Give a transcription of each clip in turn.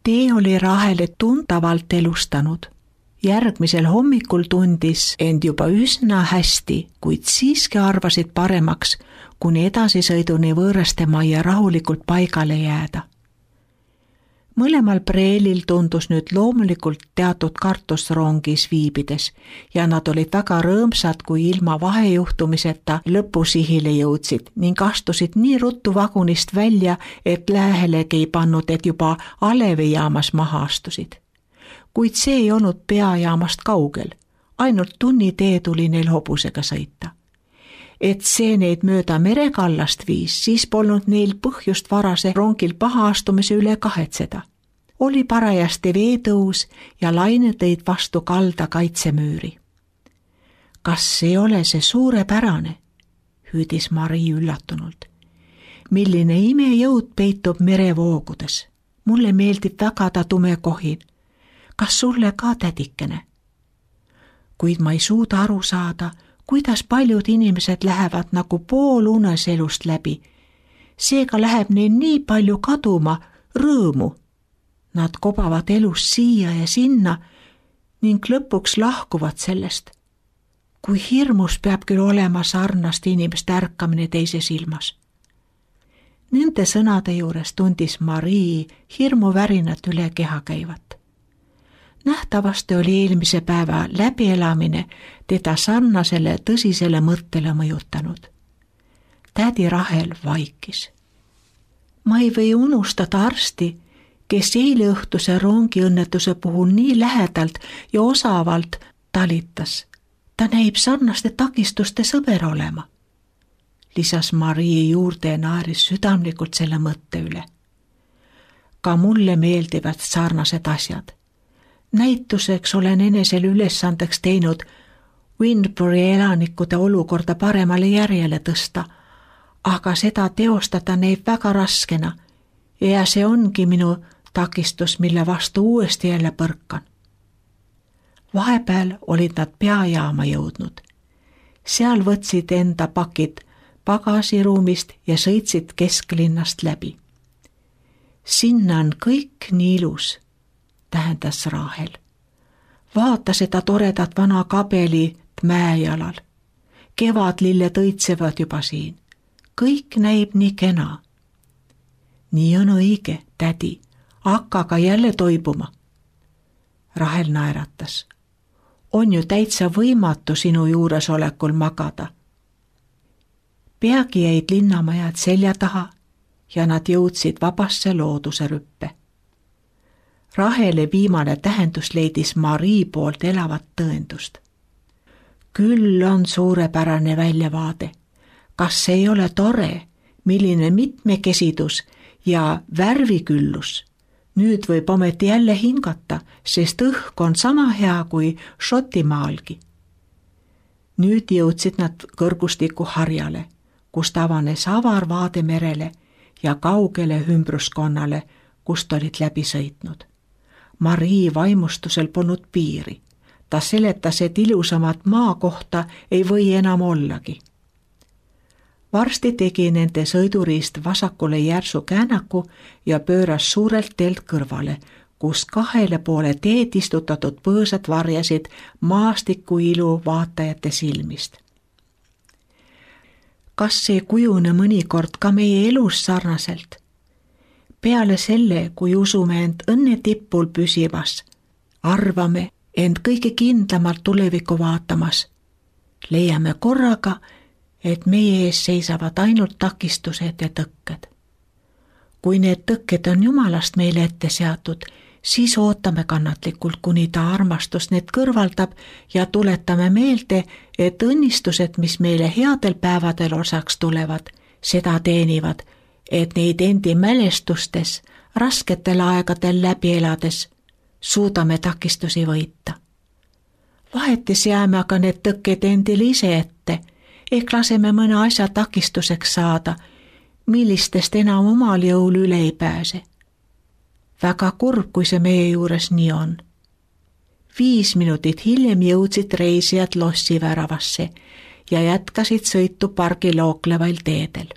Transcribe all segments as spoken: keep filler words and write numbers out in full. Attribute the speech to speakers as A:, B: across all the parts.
A: Tee oli Rahele tuntavalt elustanud. Järgmisel hommikul tundis end juba üsna hästi, kuid siiski arvasid paremaks, kuni edasisõiduni võõraste majja rahulikult paigale jääda. Mõlemal preelil tundus nüüd loomulikult teatud kartust rongis viibides ja nad olid väga rõõmsad, kui ilma vahejuhtumiseta lõpusihile jõudsid ning astusid nii ruttu vagunist välja, et lähelegi ei pannud, et juba alevijaamas maha astusid. Kuid see ei olnud peajaamast kaugel, ainult tunni tee tuli neil hobusega sõita. Et see neid mööda merekallast viis, siis polnud neil põhjust varase rongil paha astumise üle kahetseda. Oli parajasti veetõus ja laine tõid vastu kalda kaitsemüüri. Kas ei ole see suurepärane? Hüüdis Marii üllatunult. Milline imejõud peitub merevoogudes. Mulle meeldib väga ta tume kohin. Kas sulle ka, tädikene? Kuid ma ei suuda aru saada, kuidas paljud inimesed lähevad nagu poolunes elust läbi. Seega läheb neil nii palju kaduma rõõmu. Nad kobavad elus siia ja sinna ning lõpuks lahkuvad sellest. Kui hirmus peab küll olema sarnast inimest ärkamine teises ilmas. Nende sõnade juures tundis Marii hirmuvärinat üle keha käivat. Nähtavasti oli eelmise päeva läbielamine teda sarnasele tõsisele mõttele mõjutanud. Tädi Rahel vaikis. Ma ei või unustada arsti, kes eile õhtuse rongiõnnetuse puhul nii lähedalt ja osavalt talitas. Ta näib sarnaste takistuste sõber olema. Lisas Marii juurde ja naeris südamlikult selle mõtte üle. Ka mulle meeldivad sarnased asjad. Näituseks olen enesel ülesandeks teinud Windbury elanikude olukorda paremale järjele tõsta, aga seda teostada näib väga raskena ja see ongi minu takistus, mille vastu uuesti jälle põrkan. Vahepeal olid nad peajaama jõudnud. Seal võtsid enda pakid pagasiruumist ja sõitsid kesklinnast läbi. Sinna on kõik nii ilus, tähendas Rahel. Vaata seda toredat vana kabelit mäejalal. Kevadlilled õitsevad juba siin. Kõik näib nii kena. Nii on õige, tädi, hakka ka jälle toibuma. Rahel naeratas. On ju täitsa võimatu sinu juuresolekul magada. Peagi jäid linnamajad selja taha ja nad jõudsid vabasse looduse rüppe. Rahele viimane tähendus leidis Marii poolt elavat tõendust. Küll on suurepärane väljavaade. Kas ei ole tore, milline mitmekesidus ja värviküllus? Nüüd võib ometi jälle hingata, sest õhk on sama hea kui Šotimaalgi. Nüüd jõudsid nad kõrgustiku harjale, kust avanes avar vaade merele ja kaugele ümbruskonnale, kust olid läbi sõitnud. Marii vaimustusel polnud piiri. Ta seletas, et ilusamat maa kohta ei või enam ollagi. Varsti tegi nende sõiduriist vasakule järsu käänaku ja pööras suurelt teelt kõrvale, kus kahele poole teed istutatud põõsad varjasid maastiku ilu vaatajate silmist. Kas see kujune mõnikord ka meie elus sarnaselt? Peale selle, kui usume end õnne tippul püsivas, arvame end kõige kindlamalt tulevikku vaatamas, leiame korraga, et meie ees seisavad ainult takistused ja tõkked. Kui need tõkked on Jumalast meile ette seatud, siis ootame kannatlikult, kuni ta armastus need kõrvaldab ja tuletame meelde, et õnnistused, mis meile headel päevadel osaks tulevad, seda teenivad, et neid endi mälestustes, rasketel aegadel läbi elades, suudame takistusi võita. Vahetis jääme aga need tõkked endile ise ette, ehk laseme mõne asja takistuseks saada, millistest enam omal jõul üle ei pääse. Väga kurb, kui see meie juures nii on. Viis minutit hiljem jõudsid reisijad lossi väravasse ja jätkasid sõitu pargi looklevail teedel.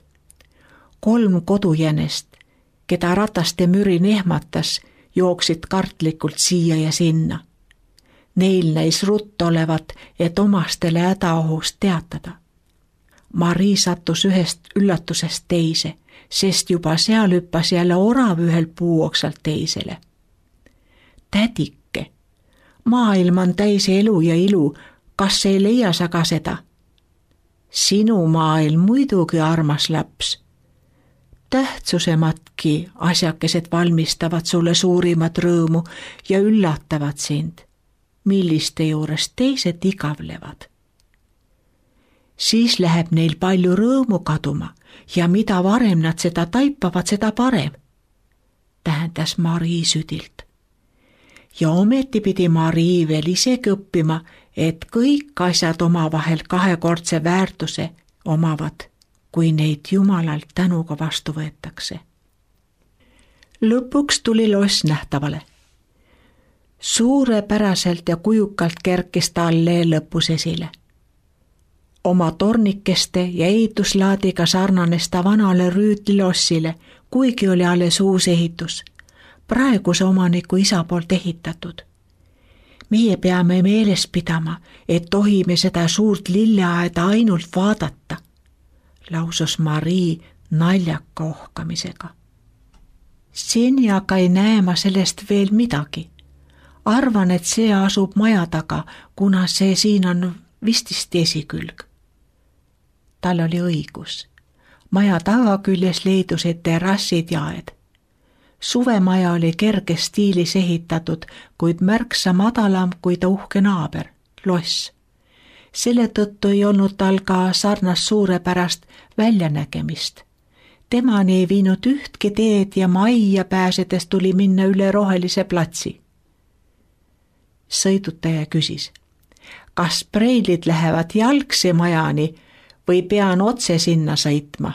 A: Kolm kodujänest, keda rataste mürin ehmatas, jooksid kartlikult siia ja sinna. Neil näis ruttu olevat, et omastele hädaohust teatada. Marii sattus ühest üllatusest teise, sest juba seal hüppas jälle orav ühel puuoksalt teisele. Tädike, maailm on täis elu ja ilu, kas ei leia sa ka seda? Sinu maailm muidugi, armas laps. Tähtsusematki asjakesed valmistavad sulle suurimat rõõmu ja üllatavad sind, milliste juures teised igavlevad. Siis läheb neil palju rõõmu kaduma ja mida varem nad seda taipavad, seda parem, tähendas Marii südilt. Ja ometi pidi Marii veel isegi õppima, et kõik asjad omavahel kahekordse väärtuse omavad, kui neid Jumalalt tänuga vastu võetakse. Lõpuks tuli loss nähtavale. Suurepäraselt ja kujukalt kerkis ta allee lõpus esile. Oma tornikeste ja ehituslaadiga sarnanes ta vanale rüütlilossile, kuigi oli alles uus ehitus, praeguse omaniku isa poolt ehitatud. Meie peame meeles pidama, et tohime seda suurt lilleaeda ainult vaadata, lausus Marii naljaka ohkamisega. Seni aga ei näe ma sellest veel midagi. Arvan, et see asub maja taga, kuna see siin on vististi esikülg. Tal oli õigus. Maja tagaküljes leidusid terrassid ja aed. Suvemaja oli kerges stiilis ehitatud, kuid märksa madalam kui ta uhke naaber, loss. Selle tõttu ei olnud tal ka sarnast suurepärast väljanägemist. Temani ei viinud ühtki teed ja majja pääsedes tuli minna üle rohelise platsi. Sõidutaja küsis, kas preilid lähevad jalgsi majani või pean otse sinna sõitma?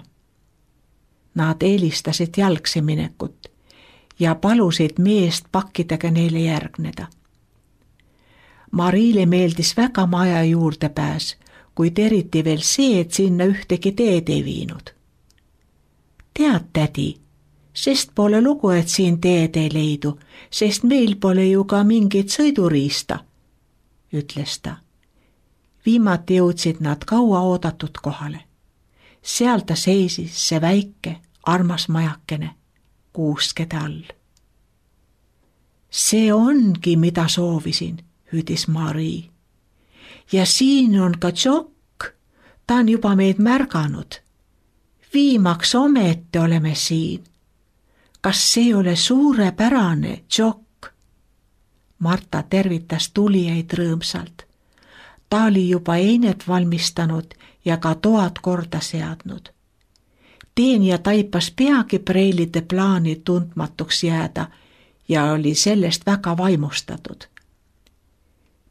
A: Nad eelistasid jalgsi minekut ja palusid meest pakkidega neile järgneda. Mariile meeldis väga maja juurde pääs, kuid eriti veel see, et sinna ühtegi teed ei viinud. Tead, tädi, sest pole lugu, et siin teed ei leidu, sest meil pole ju ka mingit sõiduriista, ütles ta. Viimati jõudsid nad kaua oodatud kohale. Seal ta seisis see väike, armas majakene, kuuskede all. See ongi, mida soovisin, hüüdis Marii. Ja siin on ka Tšokk, ta on juba meid märganud. Viimaks ometi oleme siin. Kas see ei ole suurepärane, Tšokk? Marta tervitas tulijaid rõõmsalt. Ta oli juba einet valmistanud ja ka toad korda seadnud. Teenija taipas peagi preilide plaani tundmatuks jääda ja oli sellest väga vaimustatud.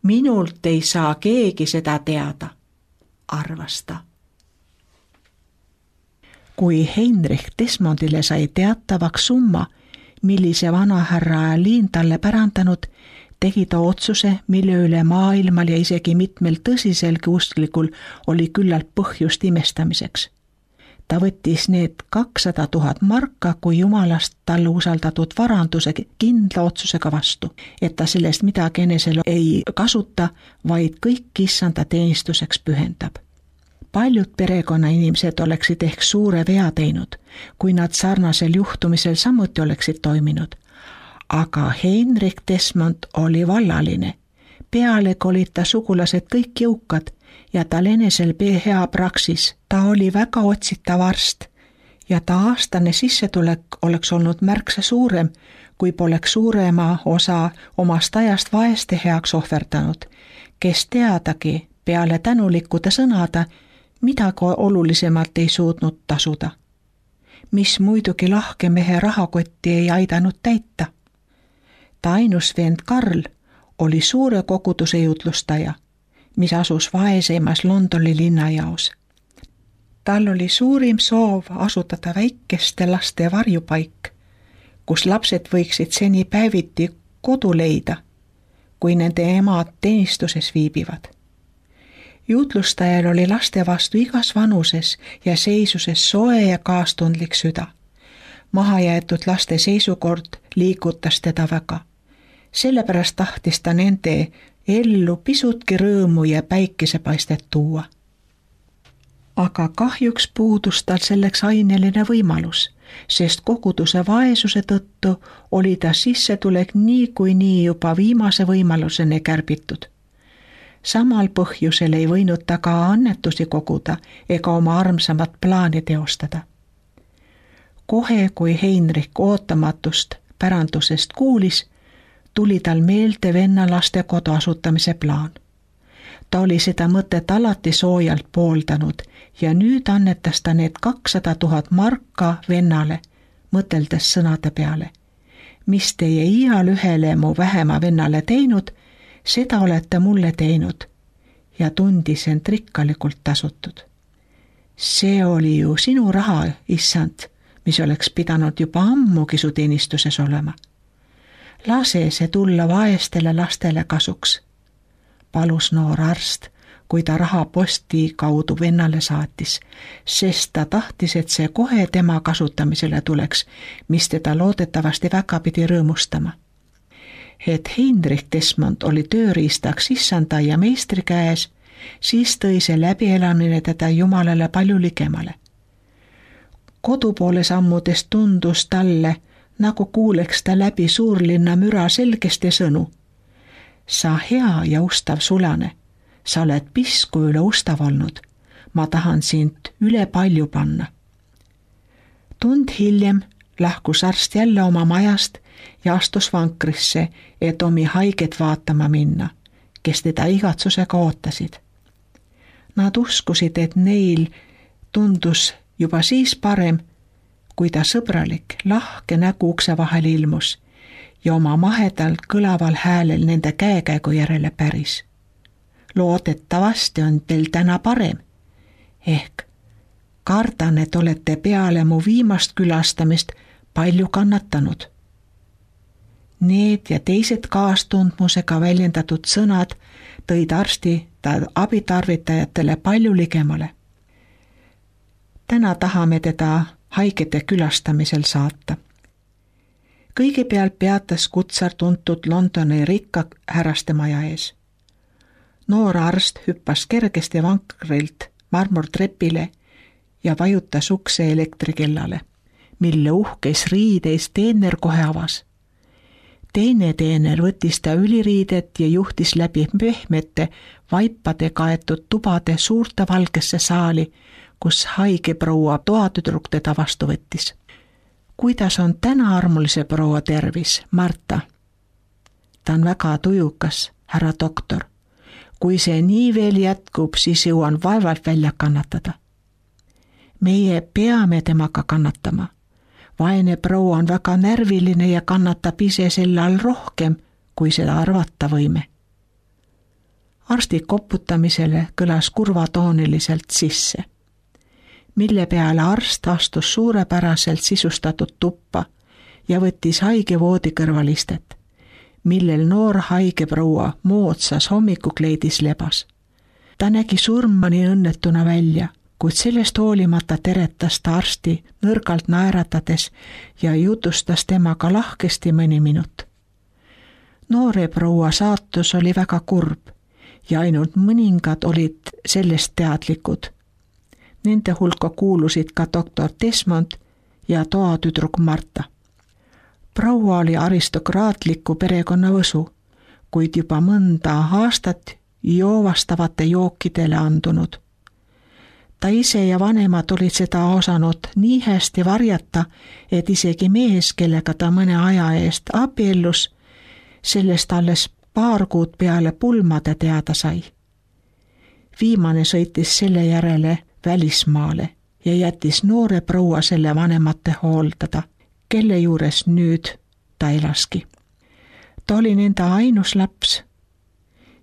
A: Minult ei saa keegi seda teada, arvas ta. Kui Heinrich Desmondile sai teatavaks summa, millise vanahärra Liin talle pärandanud, tegi ta otsuse, mille üle maailmal ja isegi mitmel tõsiselgi usklikul oli küllalt põhjust imestamiseks. Ta võttis need kakssada tuhat marka kui jumalast talle usaldatud varanduse kindla otsusega vastu, et ta sellest midagi enesel ei kasuta, vaid kõik issanda teenistuseks pühendab. Paljud perekonnainimesed oleksid ehk suure vea teinud, kui nad sarnasel juhtumisel samuti oleksid toiminud. Aga Heinrich Desmond oli vallaline. Pealegi olid ta sugulased kõik jõukad ja tal enesel hea praksis. Ta oli väga otsitav arst ja ta aastane sissetulek oleks olnud märksa suurem, kui poleks suurema osa omast ajast vaeste heaks ohverdanud, kes teadagi peale tänulikkude sõnada midagi olulisemalt ei suutnud tasuda, mis muidugi lahke mehe rahakotti ei aidanud täita. Ta ainus vend Karl oli suure koguduse jutlustaja, mis asus vaeseimas Londoni linnajaos. Tal oli suurim soov asutada väikeste laste varjupaik, kus lapsed võiksid seni päeviti kodu leida, kui nende emad teenistuses viibivad. Jutlustajal oli laste vastu igas vanuses ja seisuses soe ja kaastundlik süda. Mahajäetud laste seisukord liigutas teda väga. Sellepärast tahtis ta nende ellu pisutki rõõmu ja päikesepaistet tuua. Aga kahjuks puudus tal selleks aineline võimalus, sest koguduse vaesuse tõttu oli ta sissetulek niikuinii juba viimase võimaluseni kärbitud. Samal põhjusel ei võinud ta ka annetusi koguda ega oma armsamat plaani teostada. Kohe, kui Heinrich ootamatust pärandusest kuulis, tuli tal meelde venna lastekodu asutamise plaan. Ta oli seda mõtet alati soojalt pooldanud ja nüüd annetas ta need kakssada tuhat marka vennale, mõteldes sõnade peale. Mis teie iial ühele mu vähema vennale teinud, seda olete mulle teinud ja tundis end rikkalikult tasutud. See oli ju sinu raha, issand, mis oleks pidanud juba ammugi su teenistuses olema. Lase see tulla vaestele lastele kasuks, palus noor arst, kui ta raha posti kaudu vennale saatis, sest ta tahtis, et see kohe tema kasutamisele tuleks, mis teda loodetavasti väga pidi rõõmustama. Et Heinrich Desmond oli tööriistaks issanda ja meistri käes, siis tõi see läbielamine teda Jumalale palju ligemale. Kodupoole sammudes tundus talle, nagu kuuleks ta läbi suurlinna müra selgesti sõnu. Sa hea ja ustav sulane, sa oled pisku üle ustav olnud, ma tahan sind üle palju panna. Tund hiljem lahkus arst jälle oma majast ja astus vankrisse, et omi haiget vaatama minna, kes teda igatsusega ootasid. Nad uskusid, et neil tundus juba siis parem, kui ta sõbralik, lahke nägu ukse vahel ilmus ja oma mahedalt kõlaval häälel nende käekäigu järele päris. Loodetavasti on teil täna parem. Ehk kardan, et olete peale mu viimast külastamist palju kannatanud. Need ja teised kaastundmusega väljendatud sõnad tõid arsti ta abitarvitajatele palju ligemale. Täna tahame teda haigete külastamisel saata. Kõigepealt peatas kutsar tuntud Londoni rikka härraste maja ees. Noor arst hüppas kergesti vankrilt marmortrepile ja vajutas ukse elektrikellale, mille uhkes riideis teener kohe avas. Teine teener võttis ta üliriidet ja juhtis läbi pehmete vaipade kaetud tubade suurte valgesse saali, kus haige proua toatüdruk teda vastu võttis. Kuidas on täna armulise proua tervis, Marta? Ta on väga tujukas, härra doktor. Kui see nii veel jätkub, siis jõuan vaevalt välja kannatada. Meie peame temaga kannatama. Vaene proua on väga närviline ja kannatab ise selle all rohkem, kui seda arvata võime. Arsti koputamisele kõlas kurvatooniliselt sisse, mille peale arst astus suurepäraselt sisustatud tuppa ja võttis haige voodi kõrvalistet, millel noor haige proua moodsas hommikukleidis lebas. Ta nägi surmani õnnetuna välja, kuid sellest hoolimata teretas ta arsti nõrgalt naeratades ja jutustas temaga lahkesti mõni minut. Noore proua saatus oli väga kurb ja ainult mõningad olid sellest teadlikud. Nende hulka kuulusid ka doktor Desmond ja toatüdruk Marta. Proua oli aristokraatliku perekonna võsu, kuid juba mõnda aastat joovastavate jookidele andunud. Ta ise ja vanemad olid seda osanud nii hästi varjata, et isegi mees, kellega ta mõne aja eest abiellus, sellest alles paar kuud peale pulmade teada sai. Viimane sõitis selle järele välismaale ja jättis noore proua selle vanemate hooldada, kelle juures nüüd ta elaski. Ta oli nende ainus laps.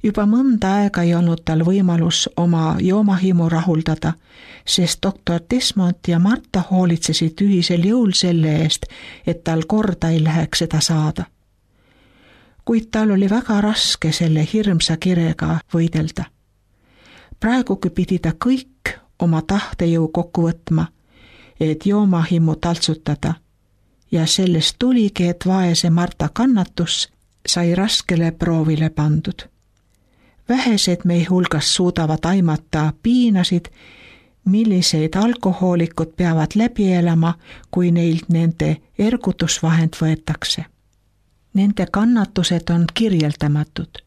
A: Juba mõnda aega ei olnud tal võimalus oma joomahimu rahuldada, sest doktor Desmond ja Marta hoolitsesid ühisel jõul selle eest, et tal korda ei läheks seda saada. Kuid tal oli väga raske selle hirmsa kirega võidelda. Praegugi pidi ta kõik oma tahtejõu kokku võtma, et joomahimu taltsutada ja sellest tuligi, et vaese Marta kannatus sai raskele proovile pandud. Vähesed meie hulgas suudavad aimata piinasid, milliseid alkohoolikud peavad läbi elama, kui neilt nende ergutusvahend võetakse. Nende kannatused on kirjeldamatud,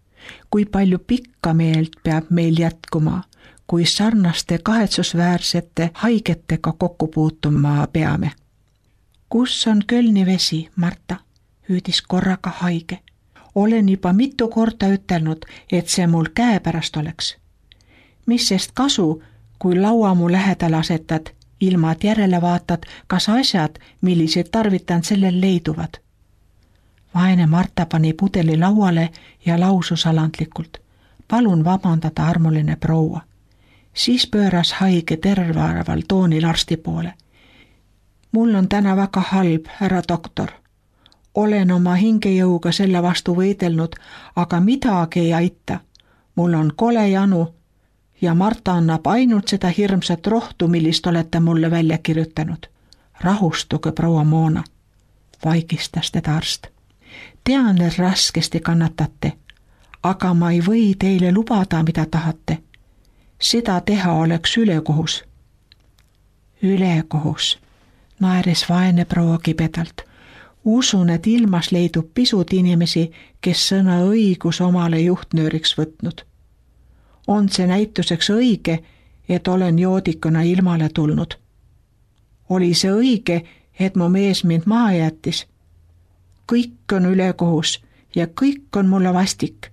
A: kui palju pikka meelt peab meil jätkuma, kui sarnaste kahetsusväärsete haigetega kokku puutuma peame. Kus on Kölni vesi, Marta? Hüüdis korraga haige. Olen juba mitu korda ütelnud, et see mul käepärast oleks. Mis sest kasu, kui laua mu lähedal asetad, ilma et järele vaatad, kas asjad, millised tarvitan, sellel leiduvad. Vaene Marta pani pudeli lauale ja lausus alandlikult. Palun vabandada, armuline proua. Siis pööras haige tervaval toonil arsti poole. Mul on täna väga halb, härra doktor. Olen oma hingejõuga selle vastu võidelnud, aga midagi ei aita. Mul on kole janu ja Marta annab ainult seda hirmsat rohtu, millist olete mulle välja kirjutanud. Rahustuge, proua Moona, vaigistas teda arst. Tean, et raskesti kannatate, aga ma ei või teile lubada, mida tahate. Seda teha oleks ülekohus. Ülekohus, naeris vaene proua kibedalt. Usun, et ilmas leidub pisut inimesi, kes sõna õigus omale juhtnööriks võtnud. On see näituseks õige, et olen joodikuna ilmale tulnud. Oli see õige, et mu mees mind maha jättis. Kõik on ülekohus ja kõik on mulle vastik.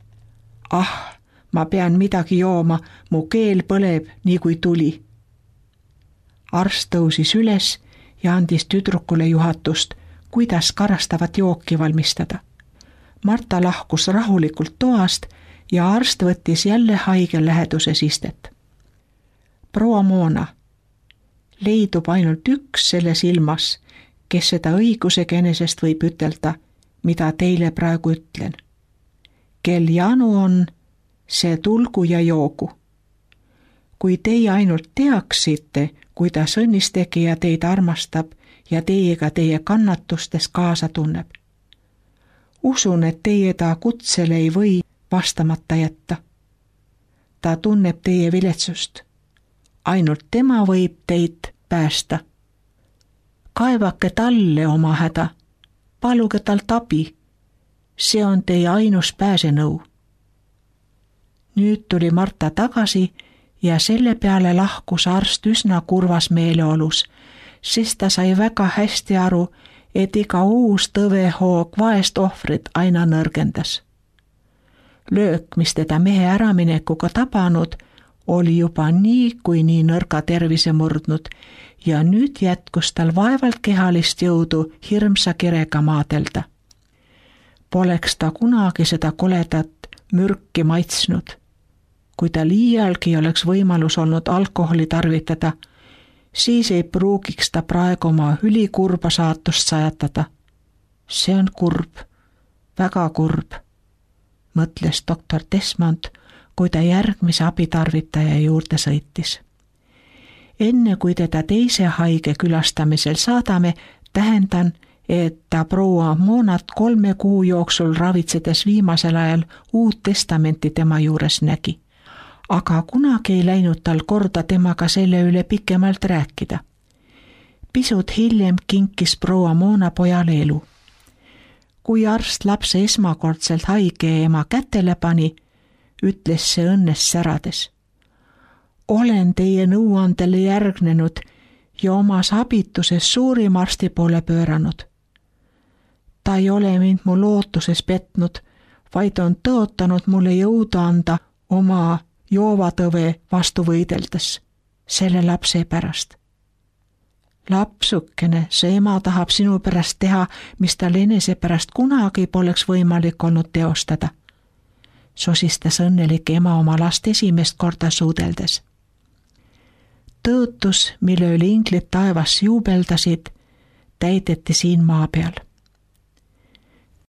A: Ah, ma pean midagi jooma, mu keel põleb nii kui tuli. Arst tõusis üles ja andis tüdrukule juhatust, kuidas karastavat jooki valmistada. Marta lahkus rahulikult toast ja arst võttis jälle haige läheduses istet. Proua Moona, leidub ainult üks selles ilmas, kes seda õigusega enesest võib ütelda, mida teile praegu ütlen. Kel janu on, see tulgu ja joogu. Kui teie ainult teaksite, kuidas õnnistegija teid armastab ja teiega teie kannatustes kaasa tunneb. Usun, et teie ta kutsele ei või vastamata jätta. Ta tunneb teie viletsust. Ainult tema võib teid päästa. Kaevake talle oma häda. Paluge talt abi. See on teie ainus pääsenõu. Nüüd tuli Marta tagasi ja selle peale lahkus arst üsna kurvas meeleolus, sest ta sai väga hästi aru, et iga uus tõvehoog vaest ohvrit aina nõrgendas. Löök, mis teda mehe äraminekuga tabanud, oli juba nii kui nii nõrga tervise murdnud ja nüüd jätkus tal vaevalt kehalist jõudu hirmsa kirega maadelda. Poleks ta kunagi seda koledat mürki maitsnud. Kui ta liialgi oleks võimalus olnud alkoholi tarvitada, siis ei pruugiks ta praegu oma ülikurba saatust sajatada. See on kurb, väga kurb, mõtles doktor Desmond, kui ta järgmise abitarvitaja juurde sõitis. Enne kui teda teise haige külastamisel saadame, tähendan, et ta proua Moonat kolme kuu jooksul ravitsedes viimasel ajal Uut Testamenti tema juures nägi. Aga kunagi ei läinud tal korda temaga selle üle pikemalt rääkida. Pisut hiljem kinkis proua Moona pojale elu. Kui arst lapse esmakordselt haige ema kätele pani, ütles see õnnes särades. Olen teie nõuandele järgnenud ja omas abituses suurim arsti poole pööranud. Ta ei ole mind mu lootuses petnud, vaid on tõotanud mulle jõudu anda oma joovatõve vastu võideldes, selle lapse pärast. Lapsukene, see ema tahab sinu pärast teha, mis tal enese pärast kunagi poleks võimalik olnud teostada, sosistas õnnelik ema oma last esimest korda suudeldes. Tõotus, mille üle inglid taevas juubeldasid, täideti siin maa peal.